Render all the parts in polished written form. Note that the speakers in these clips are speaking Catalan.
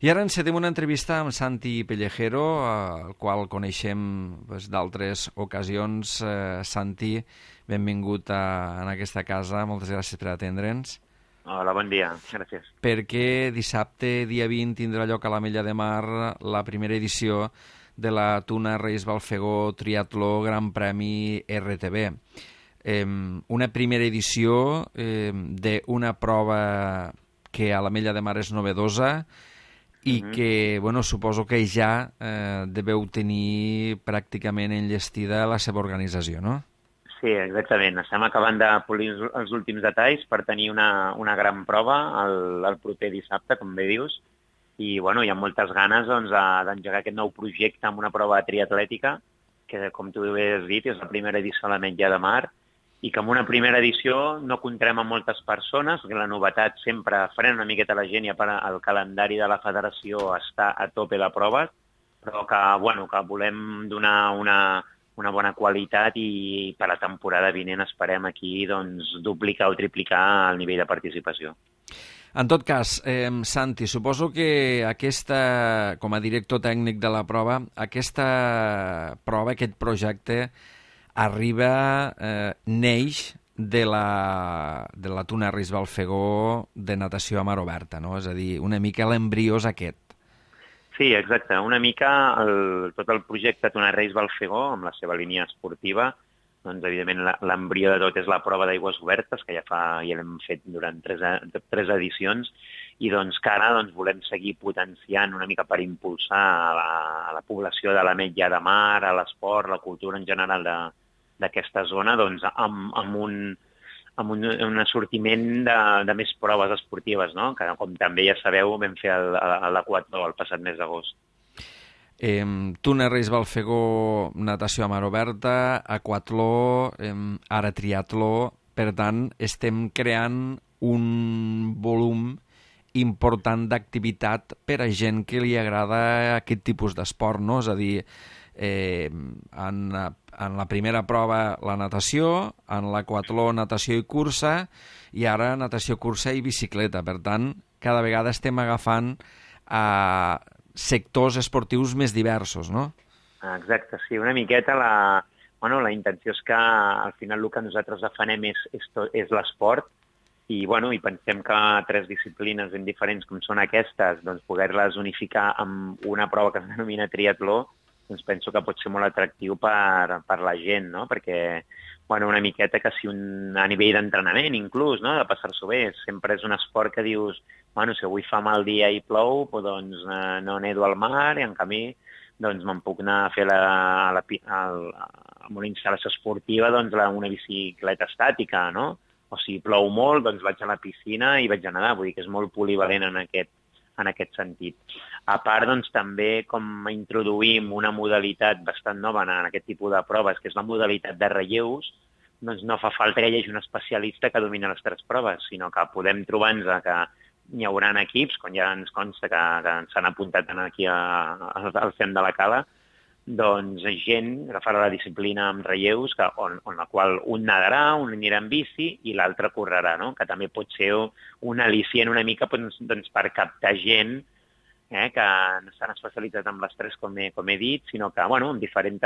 I ara encetem una entrevista amb Santi Pellejero, el qual coneixem d'altres ocasions. Santi, benvingut en aquesta casa, moltes gràcies per atendre'ns. Hola, bon dia, gràcies. Perquè dissabte, dia 20, tindrà lloc a l'Ametlla de Mar la primera edició de la Tuna Reis Balfegó Triatló Gran Premi RTB. Una primera edició d'una prova que a l'Ametlla de Mar és novedosa i que, suposo que ja deveu tenir pràcticament enllestida la seva organització, no? Sí, exactament. Estem acabant de polir els últims detalls per tenir una gran prova el proper dissabte, com bé dius, i hi ha moltes ganes d'engegar aquest nou projecte amb una prova triatlètica, que, com tu bé has dit, és la primera edició a l'Ametlla de Mar, i que en una primera edició no comptarem amb moltes persones, perquè la novetat sempre frena una miqueta la gent i el calendari de la federació està a tope de proves, però que volem donar una bona qualitat i per la temporada vinent esperem aquí duplicar o triplicar el nivell de participació. En tot cas, Santi, suposo que com a director tècnic de la prova, aquesta prova, aquest projecte, neix de la Tuna Reis Balfegó de natació a mar oberta, no? És a dir, una mica l'embrió és aquest. Sí, exacte. Una mica tot el projecte Tuna Reis Balfegó, amb la seva línia esportiva, evidentment l'embrió de tot és la prova d'aigües obertes, que ja l'hem fet durant tres edicions, i que ara volem seguir potenciant una mica per impulsar a la població de l'Ametlla de Mar, a l'esport, la cultura en general d'aquesta zona, amb un assortiment de més proves esportives, no? Que, com també ja sabeu, vam fer l'Aquatló el passat mes d'agost. Tuna Reis Balfegó, natació a mar oberta, aquatló, ara triatló. Per tant, estem creant un volum important d'activitat per a gent que li agrada aquest tipus d'esport, no? És a dir, en la primera prova la natació, en l'aquatló natació i cursa, i ara natació, cursa i bicicleta. Per tant, cada vegada estem agafant sectors esportius més diversos, no? Exacte, sí, una miqueta la intenció és que al final el que nosaltres defenem és l'esport i pensem que tres disciplines ben diferents com són aquestes, poder-les unificar amb una prova que es denomina triatló, penso que pot ser molt atractiu per la gent, no? Perquè una miqueta que si a nivell d'entrenament inclús, no? De passar-s'ho bé, sempre és un esport que dius si avui fa mal dia i plou, no nedo al mar i en canvi me'n puc anar a fer amb una instal·lació esportiva una bicicleta estàtica, no? O si plou molt, vaig a la piscina i vaig a nedar, vull dir que és molt polivalent en aquest sentit. A part, també com introduïm una modalitat bastant nova en aquest tipus de proves, que és la modalitat de relleus, no fa falta que hi hagi un especialista que domini les tres proves, sinó que podem trobar-nos que hi haurà equips, com ja ens consta que s'han apuntat aquí al CEM de la Cala, gent que farà la disciplina amb relleus, on la qual un nadarà, un anirà en bici i l'altre correrà, no? Que també pot ser un al·licient una mica per captar gent que no s'han especialitzat en les tres, com he dit, sinó que en diferents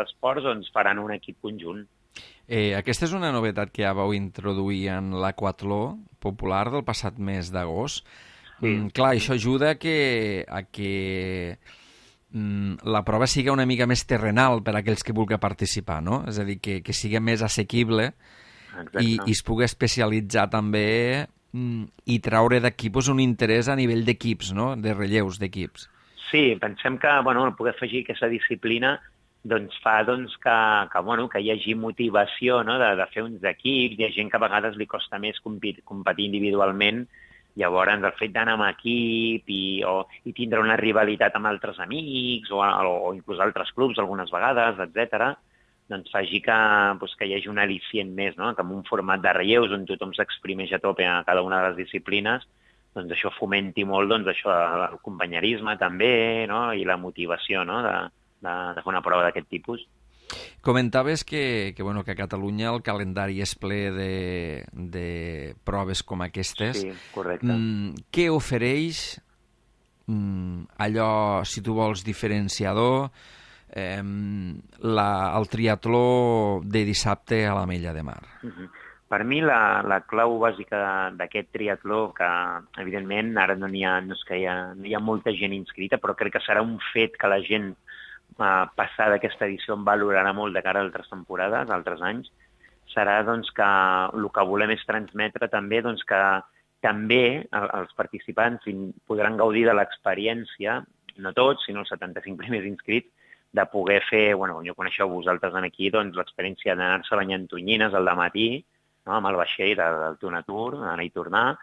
esports faran un equip conjunt. Aquesta és una novetat que ja vau introduir en l'aquatló popular del passat mes d'agost. Sí. Clar, això ajuda a que la prova sigui una mica més terrenal per a aquells que vulguin participar, no? És a dir, que sigui més assequible i es pugui especialitzar també i traure d'aquí un interès a nivell d'equips, no? De relleus d'equips. Sí, pensem que poder afegir aquesta disciplina fa que hi hagi motivació, no? De fer uns equips. Hi ha gent que a vegades li costa més competir individualment. Llavors, el fet d'anar amb equip i tindre una rivalitat amb altres amics o inclús altres clubs algunes vegades, etc., faci que hi hagi un al·licient més, no? Que en un format de relleus on tothom s'exprimeix a tope a cada una de les disciplines, això fomenti molt el companyerisme també, no? I la motivació, no? De fer una prova d'aquest tipus. Comentaves que a Catalunya el calendari és ple de proves com aquestes. Sí, correcte. Què ofereix allò, si tu vols, diferenciador, el triatló de dissabte a l'Ametlla de Mar? Per mi la clau bàsica d'aquest triatló, que evidentment ara no és que no hi ha molta gent inscrita, però crec que serà un fet que la gent passada aquesta edició en valorarà molt de cara a altres temporades, altres anys, serà doncs, que el que volem és transmetre també doncs, que també els participants podran gaudir de l'experiència, no tots, sinó els 75 primers inscrits, de poder fer, bueno, jo coneixeu vosaltres aquí, doncs, l'experiència d'anar-se banyant tonyines al dematí, no?, amb el vaixell del Tunatur, anar i tornar,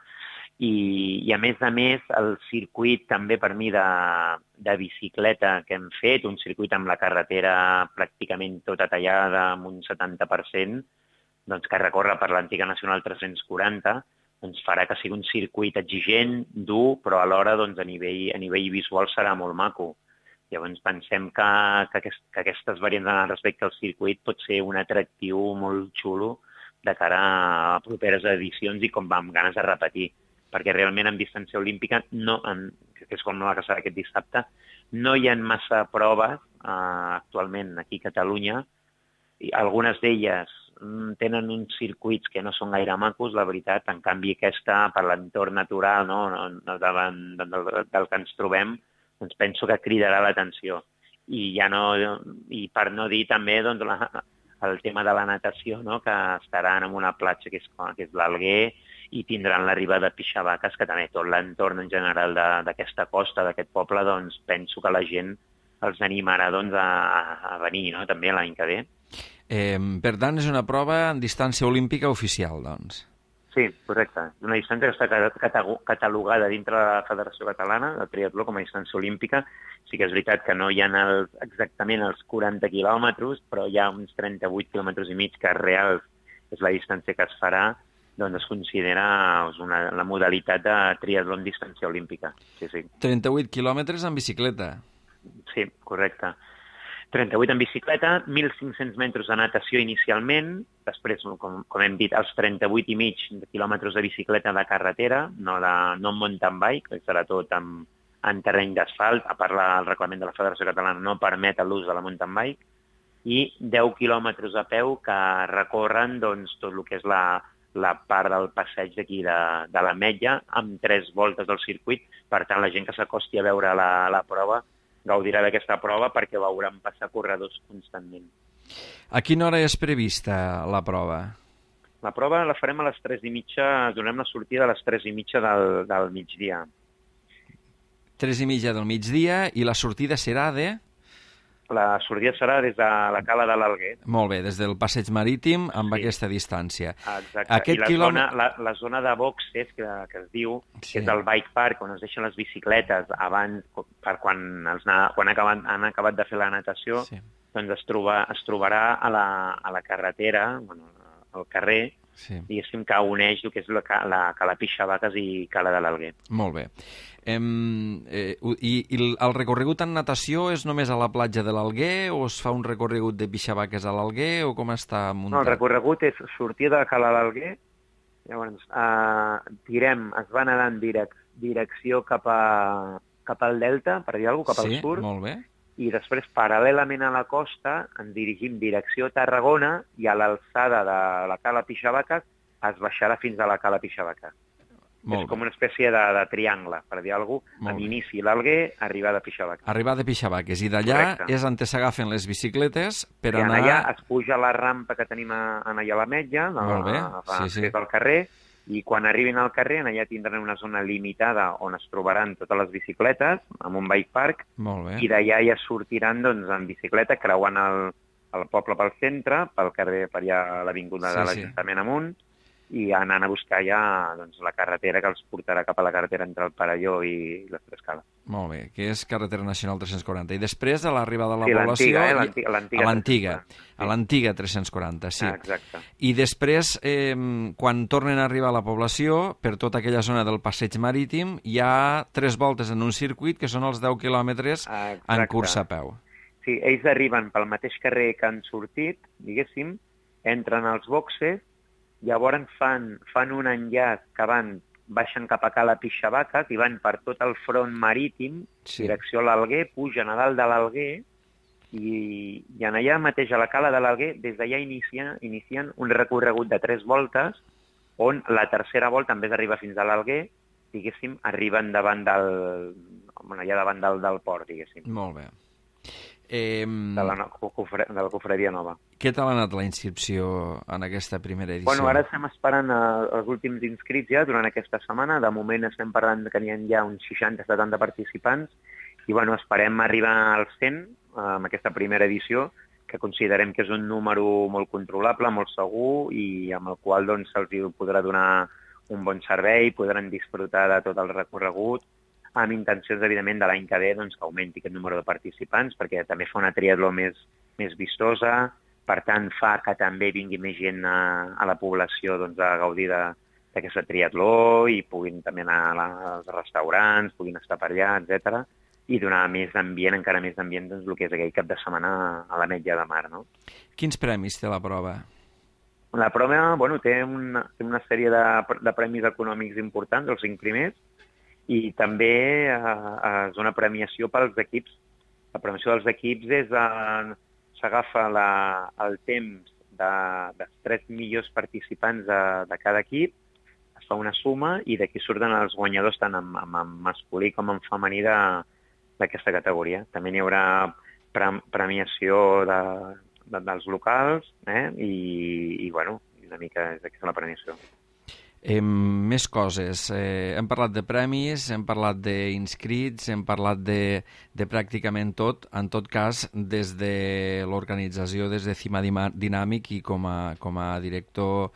i a més, el circuit també per mi de bicicleta que hem fet, un circuit amb la carretera pràcticament tota tallada, amb un 70%, doncs, que recorre per l'antiga Nacional 340, doncs farà que sigui un circuit exigent, dur, però alhora doncs, a nivell visual serà molt maco. Llavors pensem que aquestes variants respecte al circuit pot ser un atractiu molt xulo de cara a properes edicions i com amb ganes de repetir. Perquè realment en distància olímpica, que és com la que serà aquest dissabte, no hi ha massa proves actualment aquí a Catalunya. I algunes d'elles tenen uns circuits que no són gaire macos, la veritat. En canvi, aquesta, per l'entorn natural, davant del que ens trobem, doncs penso que cridarà l'atenció. I per no dir també doncs, el tema de la natació, que estaran en una platja que és l'Alguer, i tindran l'arribada de Pixabaques, que també tot l'entorn en general d'aquesta costa, d'aquest poble, doncs penso que la gent els animarà doncs, a venir, també l'any que ve. Per tant, és una prova en distància olímpica oficial, doncs. Sí, correcte. Una distància que està catalogada dintre de la Federació Catalana de Triatló com a distància olímpica. Sí que és veritat que no hi ha exactament els 40 quilòmetres, però hi ha uns 38 quilòmetres i mig que reals és la distància que es farà, doncs es considera la modalitat de triatló en distància olímpica. Sí, sí. 38 quilòmetres en bicicleta. Sí, correcte. 38 en bicicleta, 1.500 metres de natació inicialment, després, com hem dit, els 38 i mig quilòmetres de bicicleta de carretera, no en mountain bike, que serà tot en terreny d'asfalt, a part el reglament de la Federació Catalana no permet l'ús de la mountain bike, i 10 quilòmetres a peu que recorren doncs, tot el que és la part del passeig d'aquí de l'Ametlla, amb 3 voltes del circuit. Per tant, la gent que s'acosti a veure la prova gaudirà d'aquesta prova perquè veuran passar corredors constantment. A quina hora és prevista la prova? La prova la farem a les 3:30, donem la sortida a les 3:30 del migdia. 3:30 del migdia, i la sortida serà de? La sortida serà des de la cala de l'Alguer. Molt bé, des del passeig marítim amb aquesta distància. Exacte, la zona de boxes que es diu, que és el bike park, on es deixen les bicicletes abans, per quan han acabat de fer la natació, doncs es trobarà a la carretera, al carrer, diguéssim, que uneix el que és la Cala Pixabaques i Cala de l'Alguer. Molt bé. I el recorregut en natació és només a la platja de l'Alguer o es fa un recorregut de Pixabaques a l'Alguer o com està muntat? No, el recorregut és sortir de Cala de l'Alguer, llavors es va nedar en direcció cap al delta, per dir alguna cosa, cap al sud. Sí, molt bé. I després, paral·lelament a la costa, ens dirigim direcció a Tarragona i a l'alçada de la Cala Pixabaques es baixarà fins a la Cala Pixabaques. És com una espècie de triangle, per dir alguna cosa, amb inici l'Alguer, arribada a Pixabaques. Arribada a Pixabaques, i d'allà és on s'agafen les bicicletes per anar... I allà es puja la rampa que tenim allà a l'Ametlla, al carrer, i quan arribin al carrer, allà tindran una zona limitada on es trobaran totes les bicicletes, amb un bike park, i d'allà ja sortiran en bicicleta, creuant el poble pel centre, pel carrer, per allà a l'avinguda de l'Ajuntament amunt, i anant a buscar ja la carretera que els portarà cap a la carretera entre el Perelló i les Tres Cales. Molt bé, que és carretera nacional 340. I després de l'arribada de la població... A l'antiga 340, sí. Exacte. I després, quan tornen a arribar a la població, per tota aquella zona del passeig marítim, hi ha 3 voltes en un circuit, que són els 10 quilòmetres en cursa a peu. Sí, ells arriben pel mateix carrer que han sortit, diguéssim, entren als boxes, llavors fan un enllaç que van baixen cap a Cala Pixabaca, i van per tot el front marítim, direcció a l'Alguer, pugen a dalt de l'Alguer, i en allà mateix, a la Cala de l'Alguer, des d'allà inicien un recorregut de 3 voltes, on la tercera volta, en vez d'arribar fins a l'Alguer, diguéssim, arriben davant allà davant del port, diguéssim. Molt bé. De la Cofreria Nova. Què tal ha anat la inscripció en aquesta primera edició? Bueno, ara estem esperant els últims inscrits ja durant aquesta setmana. De moment estem parlant que n'hi ha ja uns 60-70 participants i bueno, esperem arribar als 100 amb aquesta primera edició, que considerem que és un número molt controlable, molt segur i amb el qual doncs, se'ls podrà donar un bon servei, podran disfrutar de tot el recorregut, amb intencions, evidentment, de l'any que ve doncs, que augmenti aquest número de participants, perquè també fa una triatló més vistosa, per tant, fa que també vingui més gent a la població doncs, a gaudir d'aquesta triatló i puguin també anar als restaurants, puguin estar per allà, etc. I donar més ambient, encara més ambient, doncs, el que és aquell cap de setmana a l'Ametlla de Mar. No? Quins premis té la prova? La prova té una sèrie de premis econòmics importants, els 5 primers, i també és una premiació pels equips. La premiació dels equips s'agafa el temps dels 3 millors participants de cada equip, es fa una suma i d'aquí surten els guanyadors tant en masculí com en femení d'aquesta categoria. També n'hi haurà premiació dels locals i bueno, una mica és aquesta la premiació. Més coses. Hem parlat de premis, hem parlat d'inscrits, hem parlat de pràcticament tot. En tot cas, des de l'organització, des de Cima Dinàmic i com a director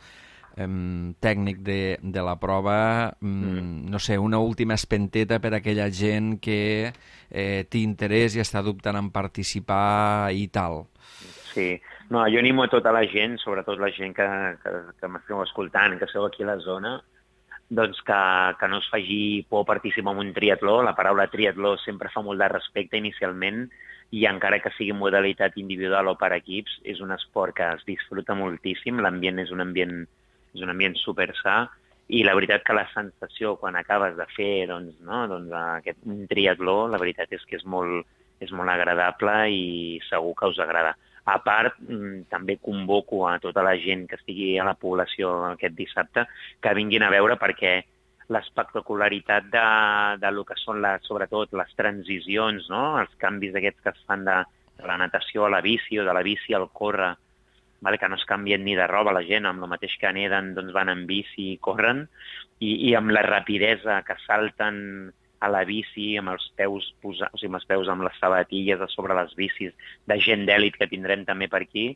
tècnic de la prova, no sé, una última espenteta per a aquella gent que té interès i està dubtant en participar i tal. Sí. No, jo animo a tota la gent, sobretot la gent que m'esteu escoltant, que sou aquí a la zona, doncs que no es faci por participar en un triatló. La paraula triatló sempre fa molt de respecte inicialment i encara que sigui modalitat individual o per equips, és un esport que es disfruta moltíssim, l'ambient és un ambient super sa i la veritat que la sensació quan acabes de fer un triatló, la veritat és que és molt agradable i segur que us agrada. A part, també convoco a tota la gent que estigui a la població aquest dissabte que vinguin a veure perquè l'espectacularitat de lo que són sobretot les transicions, no? Els canvis aquests que es fan de la natació a la bici o de la bici al córrer, que no es canvien ni de roba la gent, amb el mateix que neden doncs van en bici i corren, i amb la rapidesa que salten a la bici, amb els peus amb les sabatilles a sobre les bicis de gent d'èlit que tindrem també per aquí,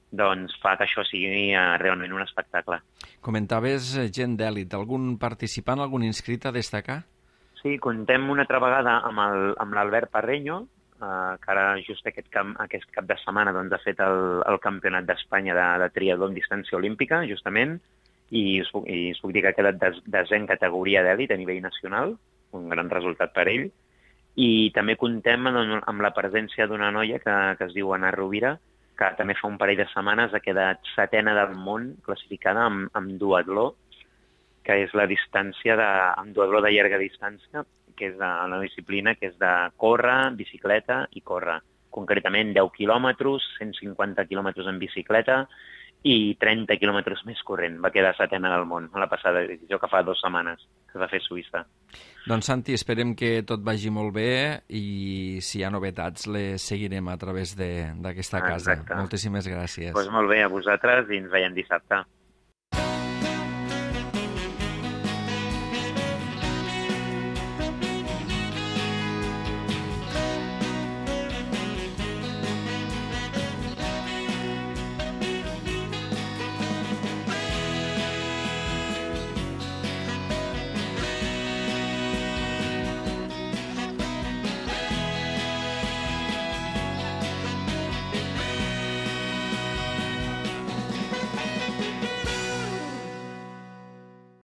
doncs fa que això sigui realment un espectacle. Comentaves gent d'èlit. Algun participant, algun inscrit a destacar? Sí, contem una altra vegada amb l'Albert Parreño, que ara just aquest cap de setmana doncs, ha fet el Campionat d'Espanya de triatló en distància olímpica, justament, i us puc dir que ha quedat desè en categoria d'èlit a nivell nacional, un gran resultat per ell, i també contem amb la presència d'una noia que es diu Ana Rovira, que també fa un parell de setmanes ha quedat setena del món classificada amb duatló, que és la distància amb duatló de llarga distància, que és la disciplina que és de córrer, bicicleta i córrer. Concretament 10 quilòmetres, 150 quilòmetres en bicicleta i 30 quilòmetres més corrent. Va quedar setena del món a la passada edició, que fa 2 setmanes que es va fer a Suïssa. Doncs Santi, esperem que tot vagi molt bé i si hi ha novetats les seguirem a través d'aquesta casa. Exacte. Moltíssimes gràcies. Doncs molt bé, a vosaltres i ens veiem dissabte.